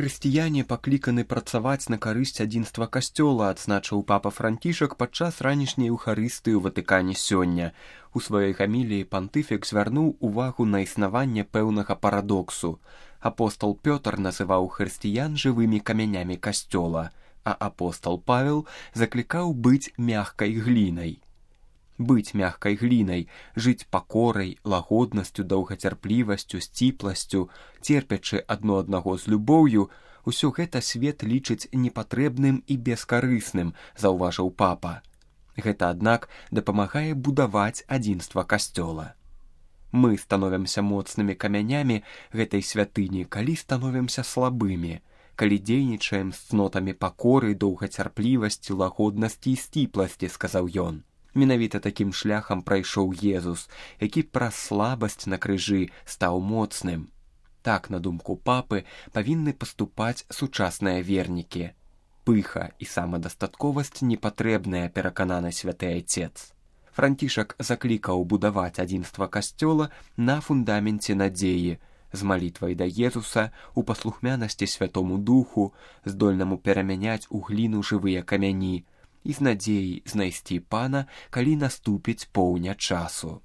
Хрысціяне пакліканы працаваць на карысць адзінства касцёла, адзначыў папа Францішак падчас ранішняй еўхарыстыі ў Ватыкане сёння. У сваёй гаміліі пантыфік звярнуў увагу на існаванне пэўнага парадоксу. Апостол Пётр называў хрысціян жывымі камянямі касцёла, а апостол Павел заклікаў быць мягкай глінай. Быць мягкай глінай, жыць пакорай, лагоднасцю, доўгацярплівасцю, сціпласцю, церпячы адно аднаго з любоўю, усё гэта свет лічыць непатрэбным і бескарысным, заўважыў папа. Гэта, аднак, дапамагае будаваць адзінства касцёла. Мы становімся моцнымі камянямі гэтай святыні, калі становімся слабымі, калі дзейнічаем з цнотамі пакоры, доўгацярплівасці, лагоднасці і сціпласці, сказаў ён. Менавіта такім шляхам прайшоў Езус, які праз слабасць на крыжы стаў моцным. Так, на думку папы, павінны паступаць сучасныя вернікі. Пыха і самадастатковасць непатрэбная, перакананы святы айцец. Францішак заклікаў будаваць адзінства касцёла на фундаменце надзеі, з малітвай да Езуса, у паслухмянасці святому духу, здольнаму перамяняць у гліну жывыя камяні, і з надзеяй знайсці пана, калі наступіць поўня часу.